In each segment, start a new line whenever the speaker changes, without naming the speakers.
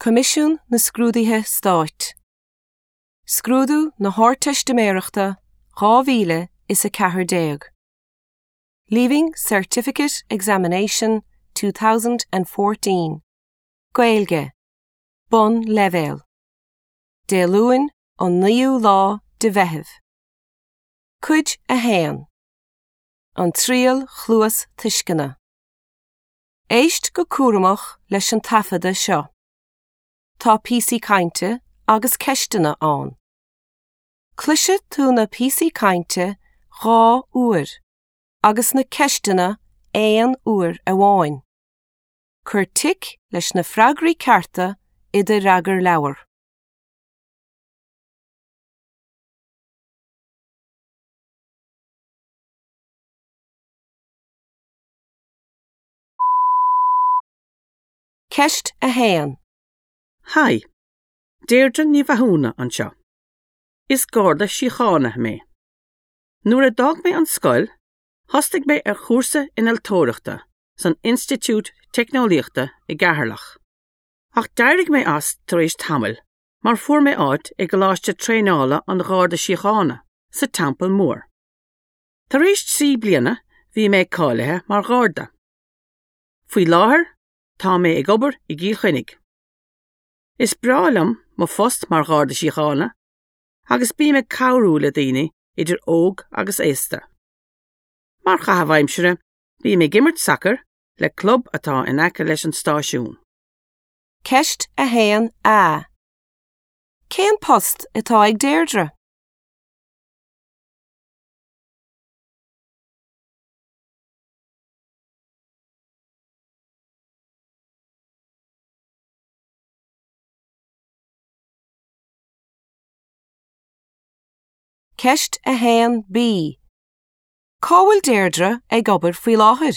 Coimisiún na Scrúduithe Stáit. Scrúdú na hArdteistiméireachta 2014. Leaving Certificate Examination 2014. Gaeilge. Bonnleibhéal. Dé Luain an 9ú lá de Mheitheamh. Cuid 1. An Triail Chluastuisceana. Éist go cúramach leis an taifeadadh seo. Tá píosaí cainte agus ceisteanna ann. Cloisfidh tú na píosaí cainte 2 uair agus na ceisteanna aon uair amháin. Cuir tic leis na freagraí cearta i do fhreagarleabhar. Ceist 1.
Haigh, Deirdre Ní Mhathúna anseo. Is Garda Síochána mé. Nuair a d'fhág mé an scoil, thosaigh mé ar chúrsa innealtóireachta san Institiúid Teicneolaíochta i gCeatharlach. Ach d'éirigh mé as tar éis tamaill mar fuair mé áit i gColáiste Traenála an Gharda Síochána sa Teampall Mór. Tar éis 3 bliana bhí mé cáilithe mar Gharda. Faoi láthair tá mé ag obair i gCill Chainnigh. Is breá liom mo phost mar Gharda Síochána agus bím ag cabhrú le daoine idir óg agus aosta. Mar chaitheamh aimsire bím ag imirt sacair le club atá in aice leis an stáisiún.
Ceist 1A. Cén post atá ag Deirdre? Ceist 1B. Cá bhfuil Deirdre ag obair faoi láthair?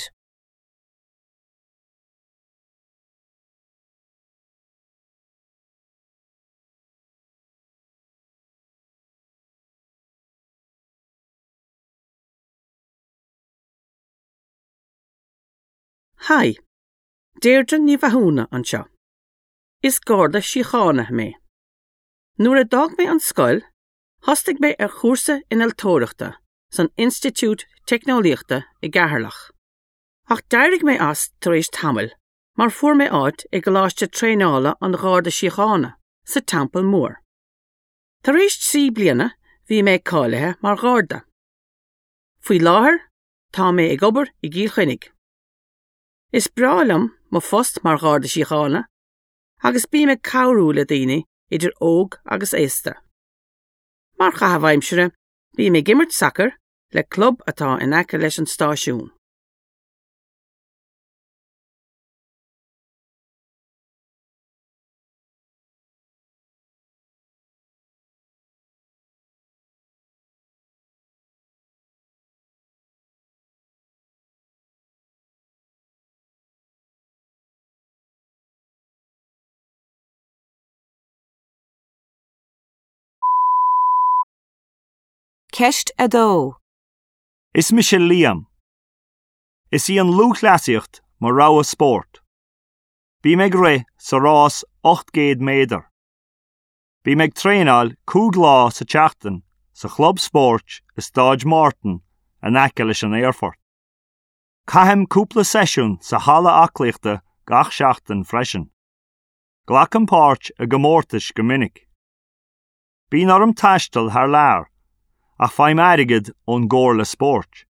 Haigh, Deirdre Ní Mhathúna anseo. Is Garda Síochána mé. Nuair a d'fhág mé an scoil, thosaigh mé ar chúrsa innealtóireachta san Institiúid Teicneolaíochta i gCeatharlach. Ach d'éirigh mé as tar éis tamaill mar fuair mé áit i gColáiste Traenála an Gharda Síochána sa Teampall Mór. Tar éis 3 bliana bhí mé cáilithe mar Gharda. Faoi láthair tá mé ag obair i gCill Chainnigh. Is breá liom mo phost mar Gharda Síochána agus bím ag cabhrú le daoine idir óg agus aosta. Mar chaitheamh aimsire bím ag imirt sacair le club atá in aice leis an stáisiún.
Ceist 2.
Is mise Liam. Is í an lúthchleasaíocht mo rogha spóirt. Bím ag rith sa rás 800 méadar. Bím ag traenáil 5 lá sa tseachtain sa chlub spóirt i Stáid Mártan in aice leis an aerfort. Caithim cúpla seisiún sa halla aclaíochta gach seachtain freisin. Glacaim páirt i gcomórtais go minic. Bíonn orm taisteal thar lear, ach faighim airgead ón gComhairle Spóirt.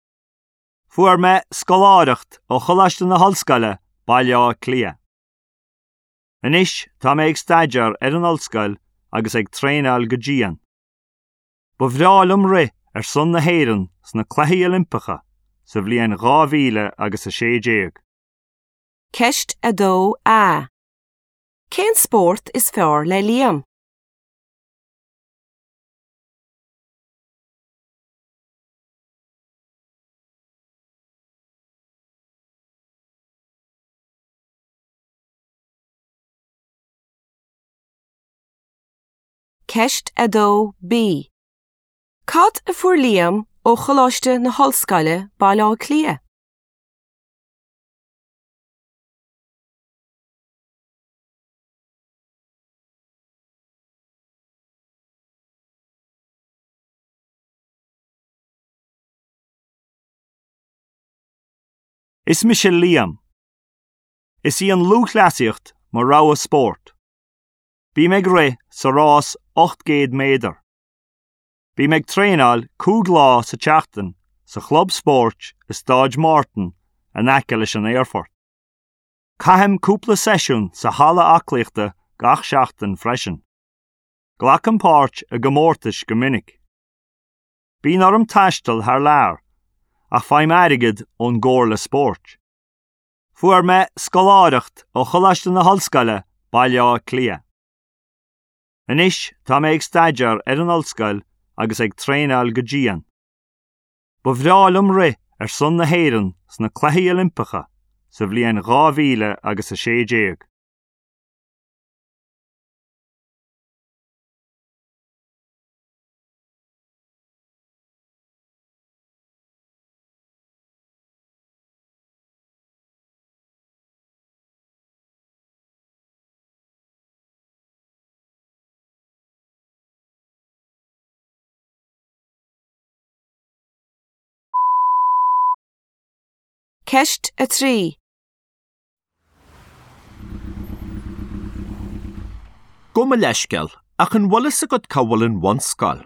Fuair mé scoláireacht ó Choláiste na hOllscoile, Baile Átha Cliath. Anois tá mé ag staidéar ar an ollscoil agus ag traenáil go dian. Ba bhreá liom rith ar son na hÉireann sna Cluichí Oilimpeacha sa bhliain 2016.
Ceist 2A. Cén spórt is fearr le Liam? Ceist 2B. Cad a fuair Liam ó Choláiste na hOllscoile, Baile Átha Cliath?
Is mise Liam. Is í an lúthchleasaíocht mo rogha spóirt. Bím ag rith sa rás 800 méadar. Bím ag traenáil 5 lá sa tseachtain sa chlub spóirt i Stáid Martin in aice leis an aerfort. Caithim cúpla seisiún sa halla aclaíochta gach seachtain freisin. Glacaim páirt i gcomórtais go minic. Bíonn orm taisteal thar lear, ach faighim airgead ón gComhairle Spóirt. Fuair mé scoláireacht ó Choláiste na hOllscoile, Baile Átha Cliath. Anois tá mé ag staidéar ar an ollscoil agus ag traenáil go dian. Ba bhreá liom rith ar son na hÉireann sna Cluichí Oilimpeacha sa bhliain 2000 agus 16.
Ceist 3.
Gabh mo leithscéal, ach an bhfuil fhios agat cá bhfuil an bhunscoil?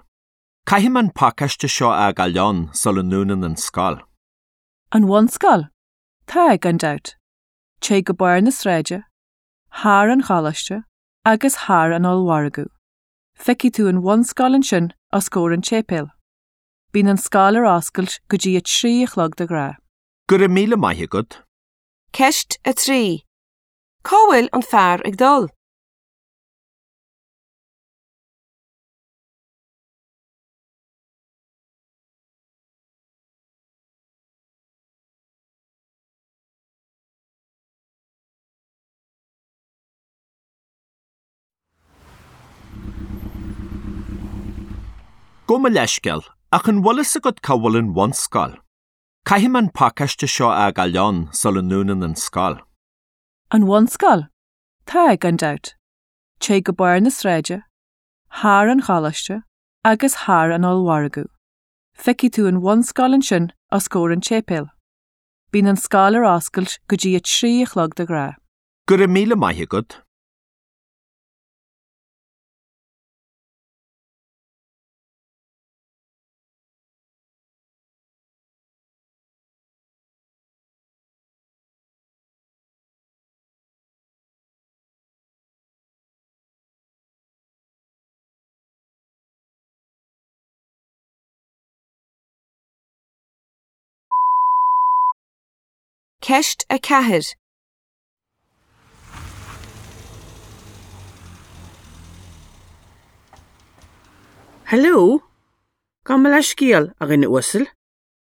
Caithfidh mé an pacáiste seo a fhágáil ann sula ndúnann an scoil.
An bhunscoil? Tá, gan dabht. Téigh go barr na sráide, thar an choláiste agus thar an ollmhargadh. Feicfidh tú an bhunscoil ansin os comhair an tséipéil. Bíonn an scoil ar oscailt go dtí a 3 a chlog de ghnáth.
Go raibh míle maith agat.
Ceist 3. Cá bhfuil an fear ag dul?
Gabh mo leithscéal, ach an bhfuil fhios agat cá bhfuil an bhunscoil? Caithfidh mé an pacáiste seo a fhágáil ann sula ndúnann an scoil.
An bhunscoil? Tá, gan dabht. Téigh go barr na sráide, thar an choláiste agus thar an ollmhargadh. Feicfidh tú an bhunscoil ansin os comhair an tséipéil. Bíonn an scoil ar oscailt go dtí a 3 a chlog de ghnáth.
Go raibh míle maith agat.
Ceist 4.
Hello! Gabh mo leithscéal, a dhuine uasail.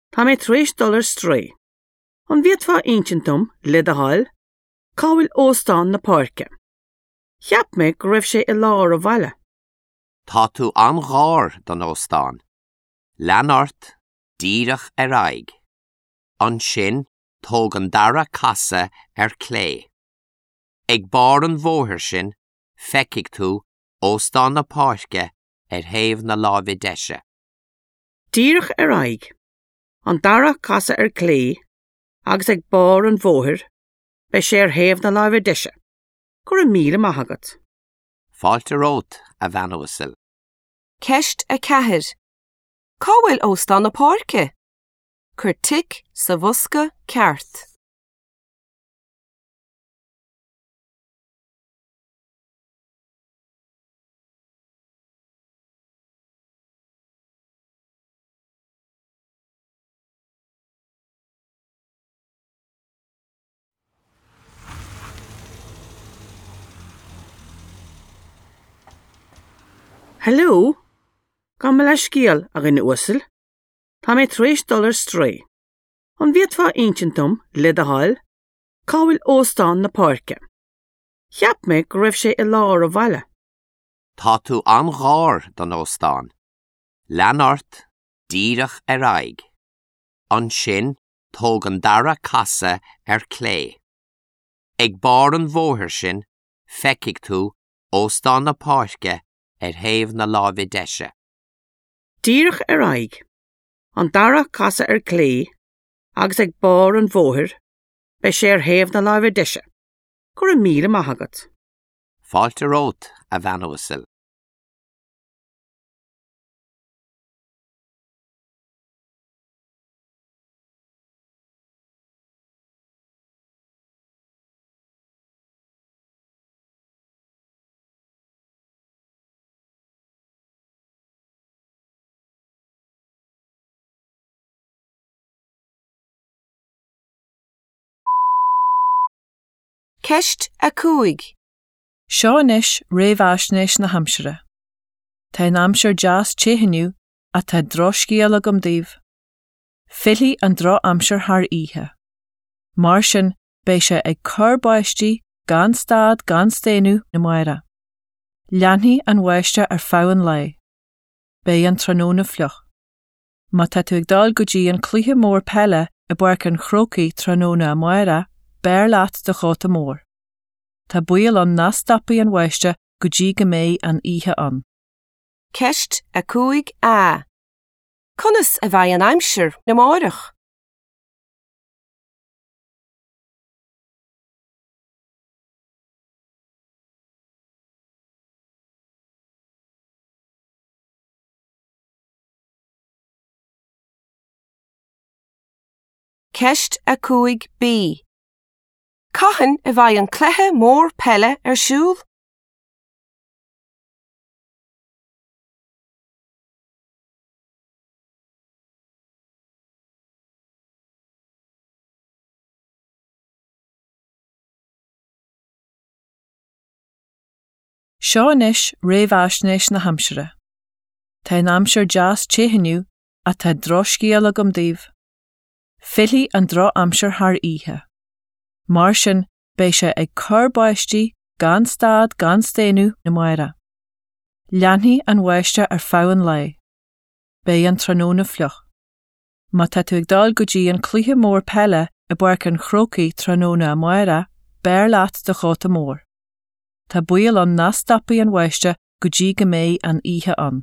Tá mé tar éis dul ar strae. An bhféadfá a insint dom, le do thoil, cá bhfuil Óstán na Páirce? Cheap mé go raibh sé i lár an bhaile.
Tá tú an-ghar don óstán. Lean ort díreach ar aghaidh. Ansin tóg an dara casadh ar clé. Ag barr an bhóthair sin feicfidh tú Óstán na Páirce ar thaobh na láimhe deise.
Díreach ar aghaidh, an dara casadh ar clé agus ag barr an bhóthair, beidh sé ar thaobh na láimhe deise. Go raibh míle maith agat.
Fáilte romhat, a bhean uasail.
Ceist 4. Cá bhfuil Óstán na Páirce? Cuir tic sa bhosca ceart.
Hello! Gabh mo leithscéal, a dhuine uasail. Tá mé tar éis dul ar strae. An bhféadfá a insint dom, le do thoil, cá bhfuil Óstán na Páirce? Cheap mé go raibh sé i lár an bhaile.
Tá tú an-ghar don óstán. Lean ort díreach ar aghaidh. Ansin tóg an dara casadh ar clé. Ag barr an bhóthair sin feicfidh tú Óstán na Páirce ar thaobh na láimhe deise.
Díreach ar aghaidh, an dara casadh ar clé agus ag barr an bhóthair, Beidh sé ar thaobh na láimhe deise. Go raibh míle maith agat.
Fáilte romhat, a bhean uasail.
Ceist 5.
Seo anois réamhaisnéis na haimsire. Tá an aimsir deas te inniu ach tá drochscéal agam daoibh. Fillfidh an drochaimsir thar oíche. Mar sin beidh sé ag cur báistí gan stad gan staonadh amárach. Leanfaidh an bháisteach ar feadh an lae. Beidh an tráthnóna fliuch. Má tá tú ag dul go dtí an cluiche mór peile i bPáirc an Chrócaigh tráthnóna amárach, beir leat do chóta mór. Tá baol ann nach stopfaidh an bháisteach go dtí go mbeidh an oíche ann.
Ceist 5A. Conas a bheidh an aimsir amárach? Ceist 5B. Cathain a bheidh an cluiche mór peile ar siúl?
Seo anois réamhaisnéis na haimsire. Tá an aimsir deas te inniu ach tá drochscéal agam daoibh. Fillfidh an drochaimsir thar oíche. Mar sin beidh sé ag cur báistí gan stad gan staonadh amárach. Leanfaidh an bháisteach ar feadh an lae. Beidh an tráthnóna fliuch. Má tá tú ag dul go dtí an cluiche mór peile i bPáirc an Chrócaigh tráthnóna amárach, beir leat do chóta mór. Tá baol ann nach stopfaidh an bháisteach go dtí go mbeidh an oíche ann.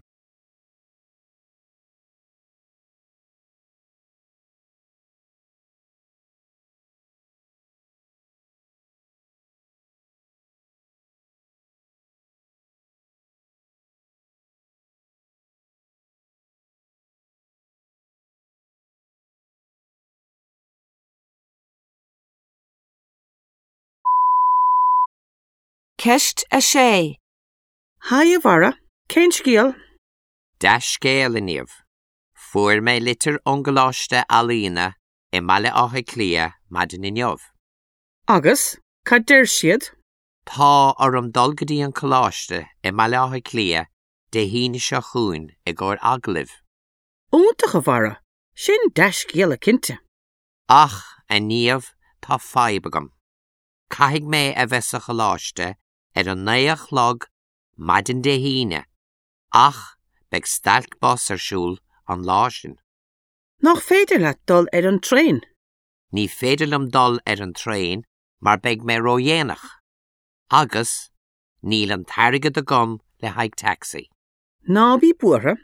Ceist 6.
Haigh a Bharra, cén scéal?
Dea-scéal, a Niamh. Fuair mé litir ón gColáiste Ealaíne i mBaile Átha Cliath maidin inniu.
Agus, cad deir siad?
Tá orm dul go dtí an coláiste i mBaile Átha Cliath Dé hAoine seo chugainn i gcomhair agallaimh.
Iontach, a Bharra! Sin dea-scéala cinnte.
Ach, a Niamh, tá fadhb agam. Caithfidh mé a bheith sa choláiste ar a naoi a chlog maidin Dé hAoine ach beidh stailc bus ar siúl an lá sin.
Nach féidir leat dul ar an traein?
Ní féidir liom dul ar an traein mar beidh mé ródhéanach. Agus níl an t-airgead agam le haghaidh taxi.
Ná bí buartha,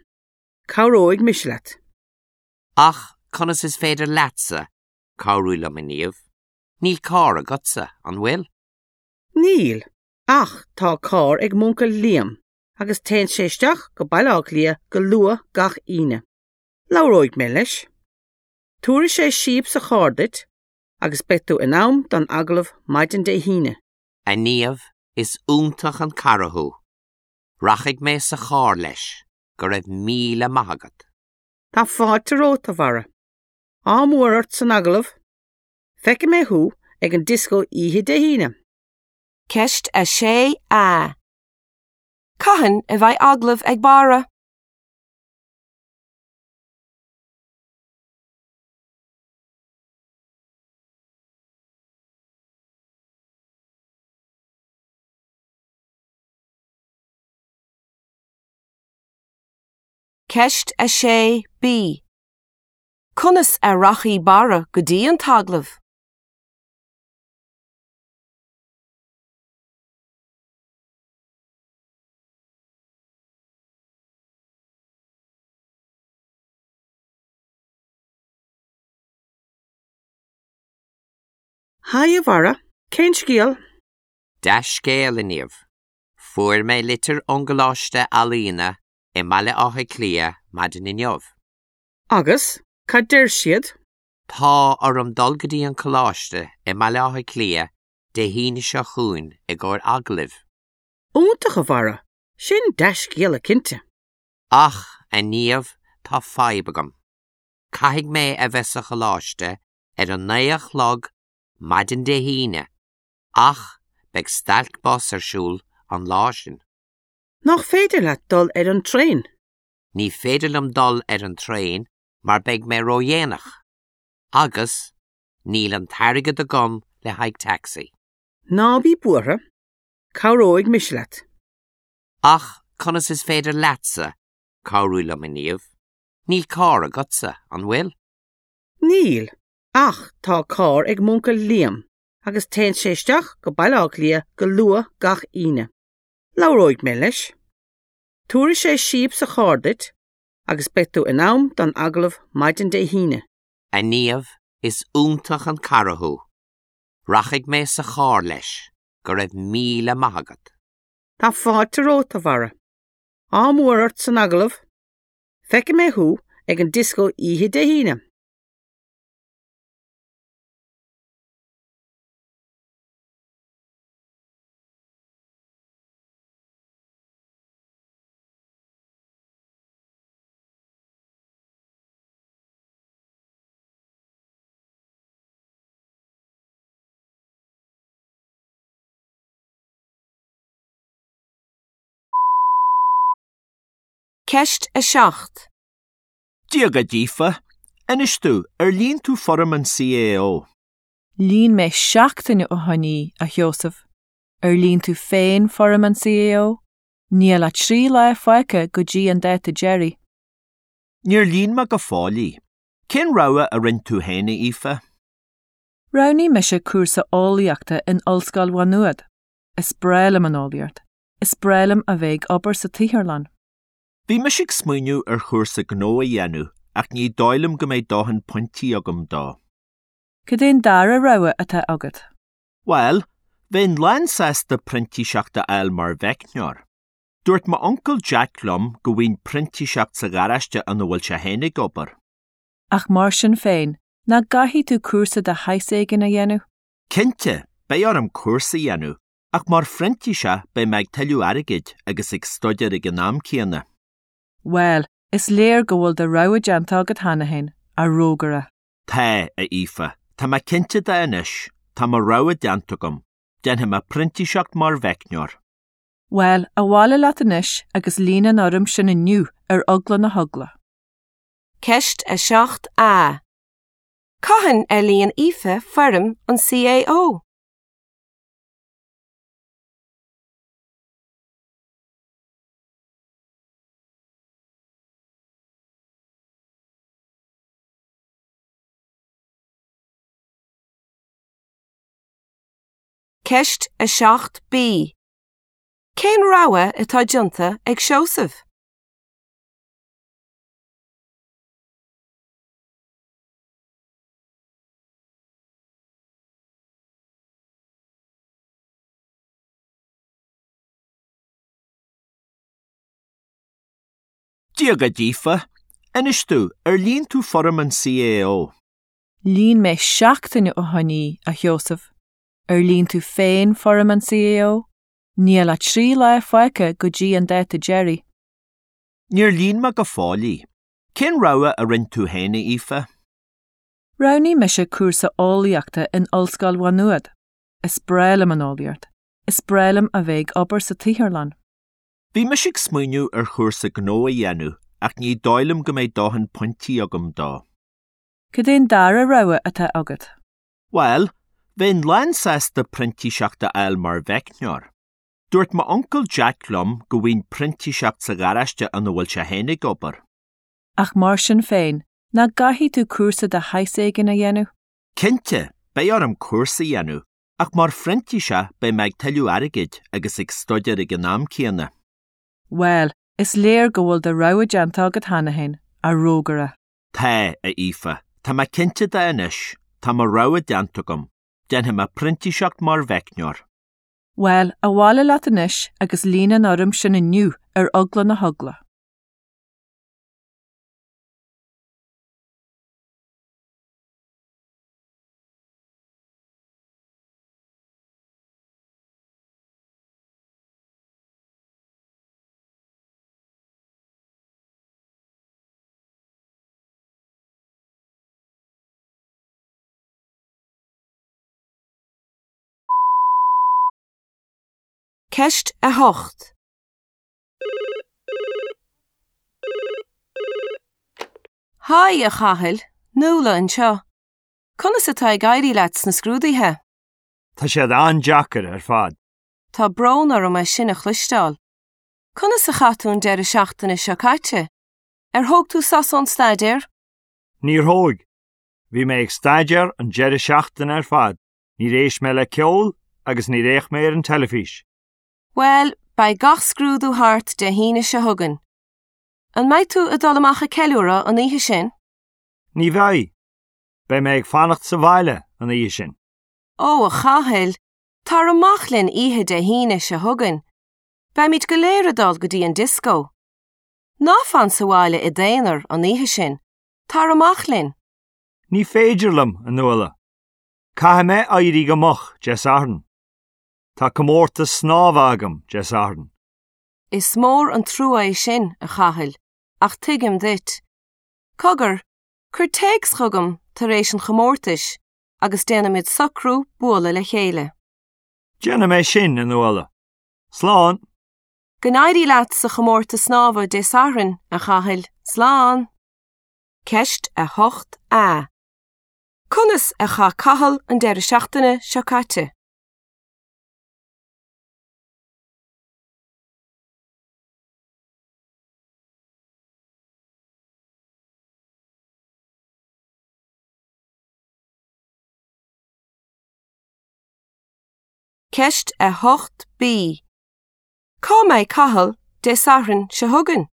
cabhróidh mise leat.
Ach conas is féidir leatsa cabhrú liom, a Niamh? Níl carr agatsa, an bhfuil?
Níl, ach tá carr ag m'uncail Liam agus téann sé isteach go Baile Átha Cliath go luath gach Aoine. Labhróidh mé leis. Tabharfaidh sé síob sa charr duit agus beidh tú in am don agallamh maidin Dé hAoine.
A Niamh, is iontach an cara thú. Rachaidh mé sa charr leis. Go raibh míle maith agat.
Tá fáilte romhat, a Bharra. Ádh mór ort san agallamh. Feicfidh mé thú ag an dioscó oíche Dé hAoine.
Ceist 6A. Cathain a bheidh agallamh ag Barra? Ceist 6B. Conas a rachaidh Barra go dtí an t-agallamh?
Haigh a Bharra, cén scéal?
Dea-scéal, a Niamh. Fuair mé litir ón gColáiste Ealaíne i mBaile Átha Cliath maidin inniu.
Agus, cad deir siad?
Tá orm dul go dtí an coláiste i mBaile Átha Cliath Dé hAoine seo chugainn i gcomhair agallaimh.
Iontach, a Bharra! Sin dea-scéala cinnte.
Ach, a Niamh, tá fadhb agam. Caithfidh mé a bheith sa choláiste ar a naoi a chlog maidin Dé hAoine, ach beidh stailc bus ar siúl an lá sin.
Nach féidir leat dul ar an traein?
Ní féidir liom dul ar an traein mar beidh mé ródhéanach. Agus níl an t-airgead agam le haghaidh taxi.
Ná bí buartha, cabhróidh mise leat.
Ach conas is féidir leatsa cabhrú liom, a Niamh? Níl carr agatsa, an bhfuil?
Níl, ach tá carr ag m'uncail Liam agus téann sé isteach go Baile Átha Cliath go luath gach Aoine. Labhróidh mé leis. Tabharfaidh sé síob sa charr duit agus beidh tú in am don agallamh maidin Dé hAoine.
A Niamh, is iontach an cara thú. Rachaidh mé sa charr leis, go raibh míle maith agat.
Tá fáilte romhat, a Bharra. Ádh mór ort san agallamh. Feicfidh mé thú ag an dioscó oíche Dé hAoine.
Ceist 7.
Dia dhuit, Aoife. Inis domh, ar líon tú foirm an CAO?
Líon mé seachtain ó shin í, a Sheosaimh. Ar líon tú féin foirm an CAO? Níl ach 3 lá fágtha go dtí an dáta deiridh.
Níor líon mé go fóill í. Cén rogha a rinne tú féin, a Aoife?
Roghnaigh mise cúrsa eolaíochta in Ollscoil Mhá Nuad. Is breá liom an eolaíocht. Is breá liom a bheith ag obair sa tsaotharlann.
Bhí mise ag smaoineamh ar chúrsa gnó a dhéanamh ach ní dóigh liom go mbeidh dóthain pointí agam dó.
Cad é an dara rogha atá agat?
Bhuel, bheinn lánsásta printíseacht a fháil mar mheicneoir. Dúirt m'uncail Jack liom go bhfaighinn printíseacht sa gharáiste ina bhfuil sé féin ag obair.
Ach mar sin féin, nach gcaithfidh tú cúrsa de shaghas éigin a dhéanamh?
Cinnte, beidh orm cúrsa a dhéanamh, ach mar phrintíseach beidh mé ag tuilleamh airgid agus ag staidéar ag an am céanna.
Bhuel, is léir go bhfuil do rogha déanta agat cheana féin, a rógaire.
Tá, a Aoife, tá mé cinnte de anois, tá mo rogha déanta agam, déanfaidh mé printíseacht mar mheicneoir.
Bhuel, abhaile leat anois agus líon an fhoirm sin inniu ar eagla na heagla.
Ceist 7A. Cathain ar líon Aoife foirm an CAO? Ceist 7B. Cén rogha atá déanta ag Seosamh?
Dia dhuit, Aoife. Inis domh, ar líon tú foirm an CAO?
Líon mé seachtain ó shin í, a Sheosaimh. Ar líon tú féin foirm an CAO? Níl ach 3 lá fágtha go dtí an dáta deiridh.
Níor líon mé go fóill í. Cén rogha a rinne tú féin, a Aoife?
Roghnaigh mise cúrsa eolaíochta in Ollscoil Mhá Nuad. Is breá liom an eolaíocht. Is breá liom a bheith ag obair sa tsaotharlann.
Bhí mise ag smaoineamh ar chúrsa gnó a dhéanamh ach ní dóigh liom go mbeidh dóthain pointí agam dó.
Cad é an dara rogha atá agat?
Bhuel, bheinn lánsásta printíseacht a fháil mar mheicneoir. Dúirt m'uncail Jack liom go bhfaighinn printíseacht sa gharáiste ina bhfuil sé féin ag obair.
Ach mar sin féin, nach gcaithfidh tú cúrsa de shaghas éigin a dhéanamh?
Cinnte, beidh orm cúrsa a dhéanamh, ach mar phrintíseach beidh mé ag tuilleamh airgid agus ag staidéar ag an am céanna.
Bhuel, is léir go bhfuil do rogha déanta agat cheana féin, a rógaire.
Tá, a Aoife, tá mé cinnte de anois, tá mo rogha déanta agam. Déanfaidh mé printíseacht mar mheicneoir.
Bhuel, abhaile leat anois agus líon an fhoirm sin inniu ar eagla na heagla.
Ceist 8. Haigh, a Chathail, Nuala anseo. Conas atá ag éirí leat sna scrúduithe?
Tá siad an-deacair ar fad.
Tá brón orm é sin a chloisteáil. Conas a chaith tú an deireadh seachtaine seo caite? Ar thóg tú sos ón staidéar?
Níor thóg. Bhí mé ag staidéar an deireadh seachtaine ar fad, níor éist mé le ceol agus níor fhéach mé ar an teilifís.
Bhuel, beidh gach scrúdú thart Dé hAoine seo chugainn. An mbeidh tú ag dul amach ag ceiliúradh an oíche sin?
Ní bheidh. Beidh mé ag fanacht sa bhaile an oíche sin.
Ó, a Chathail, tar amach linn oíche Dé hAoine seo chugainn. Beimid go léir ag dul go dtí an dioscó. Ná fan sa bhaile i d'aonar an oíche sin. Tar amach linn.
Ní féidir liom, a Nuala. Caithfidh mé éirí go moch Dé Sathairn. Tá comórtas snámha agam Dé Sathairn.
Is mór an trua é sin, a Chathail, ach tuigim duit. Cogar, cuir téacs chugam tar éis an chomórtais agus déanfaimid socrú bualadh le chéile.
Déanfaidh mé sin, a Nuala. Slán!
Go n-éirí leat sa chomórtas snámha Dé Sathairn, a Chathail. Slán! Ceist 8A. Conas a chaith Cathal an deireadh seachtaine seo caite? Ceist 8B. Cá mbeidh Cathal Dé Sathairn seo chugainn?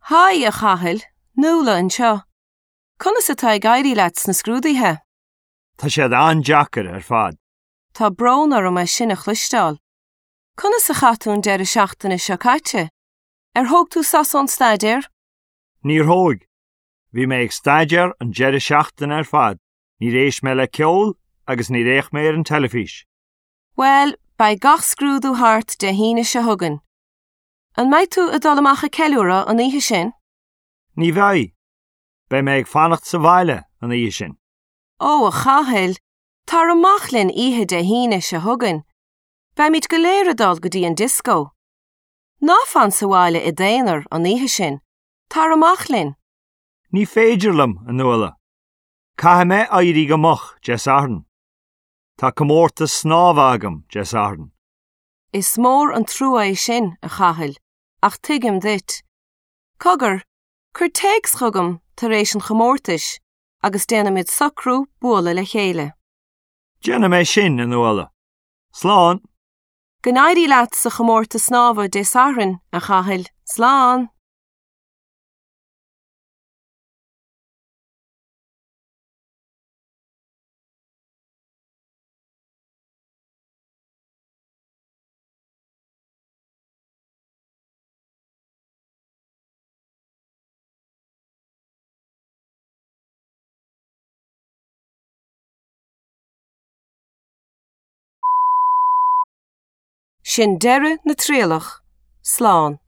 Haigh, a Chathail, Nuala anseo. Conas atá ag éirí leat sna scrúduithe?
Tá siad an-deacair ar fad.
Tá brón orm é sin a chloisteáil. Conas a chaith tú an deireadh seachtaine seo caite? Ar thóg tú sos ón staidéar?
Níor thóg. Bhí mé ag staidéar an deireadh seachtaine ar fad, níor éist mé le ceol agus níor fhéach mé ar an teilifís.
Bhuel, beidh gach scrúdú thart Dé hAoine seo chugainn. An mbeidh tú ag dul amach ag ceiliúradh an oíche sin?
Ní bheidh. Beidh mé ag fanacht sa bhaile an oíche sin.
Ó, a Chathail, tar amach linn oíche Dé hAoine seo chugainn. Beimid go léir ag dul go dtí an dioscó. Ná fan sa bhaile i d'aonar an oíche sin. Tar amach linn.
Ní féidir liom, a Nuala. Caithfidh mé éirí go moch Dé Sathairn. Tá comórtas snámha agam Dé Sathairn.
Is mór an trua é sin, a Chathail, ach tuigim duit. Cogar, Cuir téacs chugam tar éis an chomórtais agus déanfaimid socrú bualadh le chéile.
Déanfaidh mé sin, a Nuala. Slán!
Go n-éirí leat sa chomórtas snámha Dé Sathairn, a Chathail. Slán! Sin deireadh na trialach. Slán.